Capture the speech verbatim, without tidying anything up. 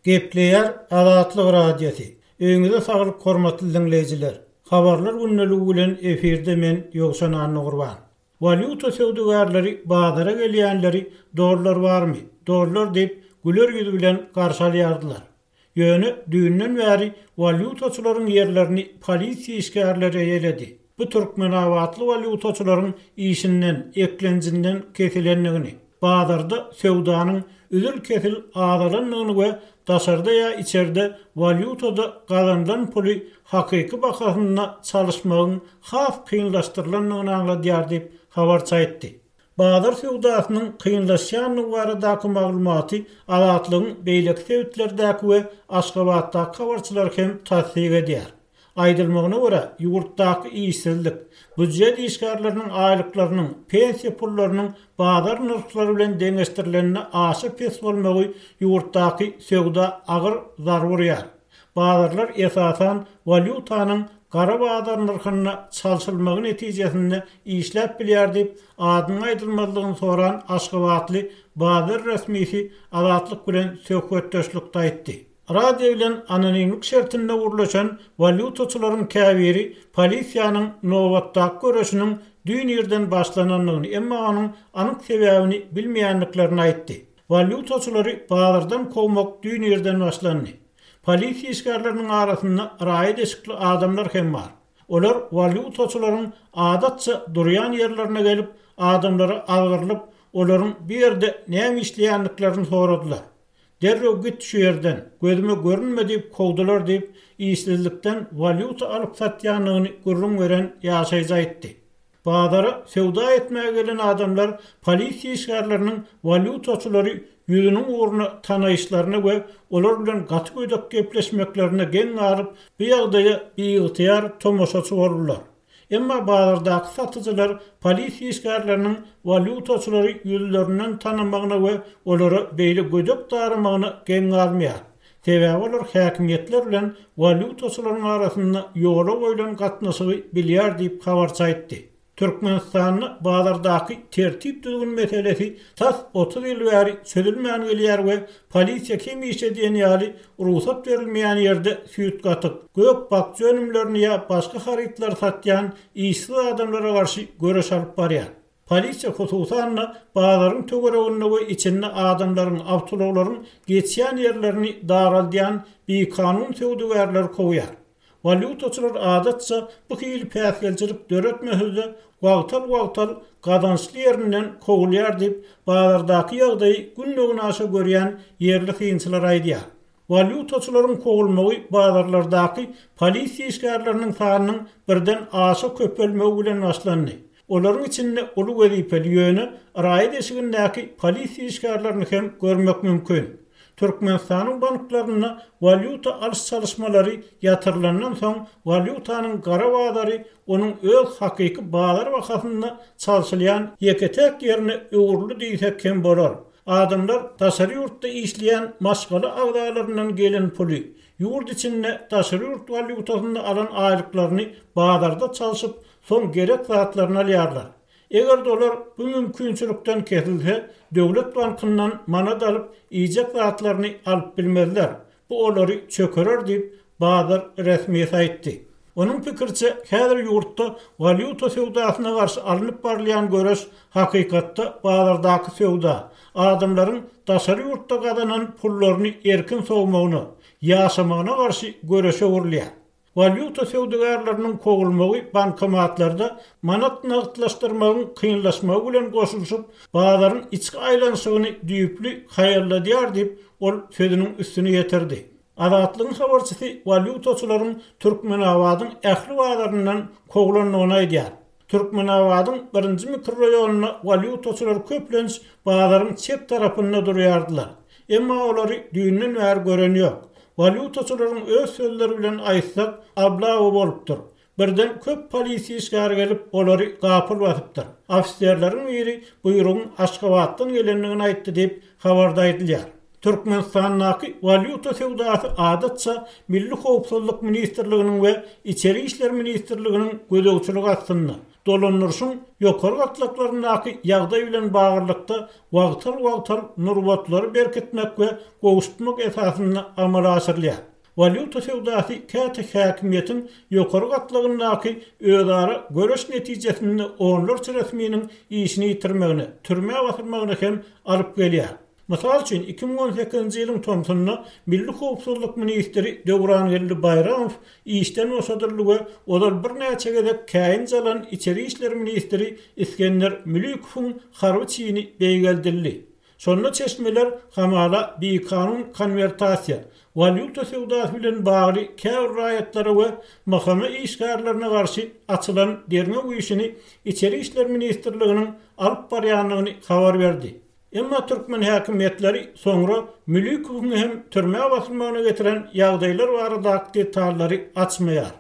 Gepleýär Azatlyk Radiosy. Öýüňize saglyk hormatly diňleýjiler. Habarlar gündeligi bilen efirde men Ýowşan Annagurban. Walýuta söwdagärleri bazara gelýänleri dollar barmy? Dollar diýip güler ýüz bilen garşy alýardylar. Ýöne düýnden bäri walýutaçylaryň ýerlerini polisiýa işgärleri eýeledi. Bu türkmenabatly walýutaçylaryň işinden, eklenjinden kesilendigini, bazarda söwdanyň üzül-kesil azalandygyny we daşarda ýa içerde walýutada gazanylan puly hakyky bahasynda çalyşmagyň has kynlaşdyrylandygyny aňladýar diýip, habarçy aýtdy. Bazar söwdasynyň kynlaşýandygy baradaky maglumaty Azatlygyň beýleki sebitlerdäki we Aşgabatdaky habarçylary hem tassyk edýär. Aýdylmagyna görä, ýurtdaky işsizlik, býujet işgärleriniň aýlyklarynyň, pensiýa pullarynyň bazar nyrhlary bilen deňeşdirilende aşa pes bolmagy ýurtdaky söwda agyr zarba urýar. Bazarlar esasan walýutanyň gara bazar nyrhynda çalşylmagy netijesinde işläp bilýär diýip, adynyň aýdylmazlygyny soran aşgabatly bazar resmisi Azatlyk bilen söhbetdeşlikde aýtdy. Radio bilen anonimlik şertinde gürleşen walýutaçylaryň käbiri polisiýanyň nobatdaky göreşiniň düýn irden başlanandygyny, emma onuň anyk sebäbini bilmeýändiklerini aýtdy. Walýutaçylary bazardan kowmak düýn irden başlandy. Polisiýa işgärleriniň arasynda raýat eşikli adamlar hem bar. Olar walýutaçylaryň adatça durýan ýerlerine gelip, adamlara azgyrylyp, olaryň bu ýerde näme işleýändiklerini soradylar. Derrew git şu ýerden, gözüme görünme diýip kowdular diýip, işsizlikden walýuta alyp satýandygyny gürrüň beren ýaşaýjy aýtdy. Bazara söwda etmäge gelen adamlar polisiýa işgärleriniň walýutaçylary ýüzüniň ugruna tanaýyşlaryna we olar bilen gaty gödek gepleşmeklerine geň galyp, bu ýagdaýa biygtyýar tomaşaçy boldular. Emma bazardaky satyjylar polisiýa işgärleriniň walýutaçylary ýüzlerinden tanamagyna we olara beýle gödek daramagyna geň galmaýar. Sebäbi olar häkimiýetler bilen walýutaçylaryň arasynda ýola goýlan gatnaşygy bilýär diýip habarçy aýtdy. Türkmenistanda bazardaky tertip-düzgün meselesi tas otuz ýyl bäri çözülmän gelýär we polisiýa hemişe diýen ýaly rugsat berilmeýän ýerde süýt-gatyk, gök-bakja önümlerini ýa başga harytlary satýan işsiz adamlara garşy göreş alyp barýar. Polisiýa hususan-da bazaryň töwereginde we içinde adamlaryň, awtoulaglaryň geçýän ýerlerini daraldýan bikanun söwdagärleri kowýar. Walýutaçylar adatça bu hili päsgelçilik döretmese-de, wagtal-wagtal gazançly ýerinden kowulýar diýip, bazardaky ýagdaýy günde-günaşa görýän ýerli synçylar aýdýar. Walýutaçylaryň kowulmagy bazarlardaky polisiýa işgärleriniň sanynyň birden aşa köpelmegi bilen başlandy. Olaryň içinde uly wezipeli, ýöne raýat eşigindäki polisiýa işgärlerini hem görmek mümkin. Türkmenistanyň banklarynda walýuta alyş-çalyşmalary ýatyrylandan soň, walýutanyň gara bazary onuň öz hakyky bazar bahasynda çalşylýan ýeke-täk ýerine öwrüldi diýsek hem bolar. Adamlar daşary ýurtda işleýän maşgala agzalaryndan gelen puly, ýurt içinde daşary ýurt walýutasynda alan aýlyklaryny bazarda çalşyp, soň gerek zatlaryny alýarlar. Eger-de olar bu mümkinçilikden kesilse, döwlet bankyndan manat alyp, iýjek zatlaryny alyp bilmezler. Bu olary çökerer diýip, bazar resmisi aýtdy. Onuň pikiriçe, häzir ýurtda walýuta söwdasyna garşy alnyp barylýan göreş hakykatda bazardaky söwda, adamlaryň daşary ýurtda gazanan pullaryny erkin sowmagyna, ýaşamagyna garşy göreşe öwrülýär. Walýuta söwdagärleriniň kowulmagy bankomatlarda manat nagtlaşdyrmagyň kynlaşmagy bilen goşulyşyp, bazaryň içki aýlanyşygyny düýpli haýalladýar diýip, ol sözüniň üstüni ýetirdi. Azatlygyň habarçysy walýutaçylaryň Türkmenabadyň ähli bazaryndan kowlandygyny aýdýar. Türkmenabadyň birinji mikroraýonynda walýutaçylar köplenç bazaryň çep tarapynda durýardylar. Emma olary düýnden bäri gören ýok. Walýutaçylaryň öz sözleri bilen aýtsak, oblawa bolupdyr. Birden köp polisiýa işgäri gelip, olary gapyl basypdyr. Ofiserleriň biri buýrugyň Aşgabatdan gelendigini aýtdy diýip, habarda aýdylýar. Türkmenistandaky walýuta söwdasy adatça Milli howpsuzlyk ministrliginiň we Içeri işler ministrliginiň gözegçiligi astynda, dolandyryşyň ýokary gatlaklaryndaky ýagdaý bilen baglylykda wagtal-wagtal nurbatlary berkitmek we gowşutmak esasynda amala aşyrylýar. Walýuta söwdasy käte häkimiýetiň ýokary gatlagyndaky özara göreş netijesinde onlarça resminiň işini ýitirmegine, türmä basylmagyna hem alyp gelýär. Mysal üçin, iki müň on sekizinji ýylyň tomsunda milli howpsuzlyk ministri Döwrangeldi Baýramow işden boşadyldy we ozal birnäçe gezek käýinç alan içeri işler ministri Isgender Mülikowyň harby çini beýgeldildi. Şonda çeşmeler hamala bikanun konwertasiýa, walýuta söwdasy bilen bagly käbir raýatlara we M H M işgärlerine garşy açylan derňew işini Içeri işler ministrliginiň alyp barýandygyny habar berdi. Emma türkmen häkimiýetleri soňra Mülikowyň hem türmä basylmagyna getiren ýagdaýlar baradaky detallary açmaýar.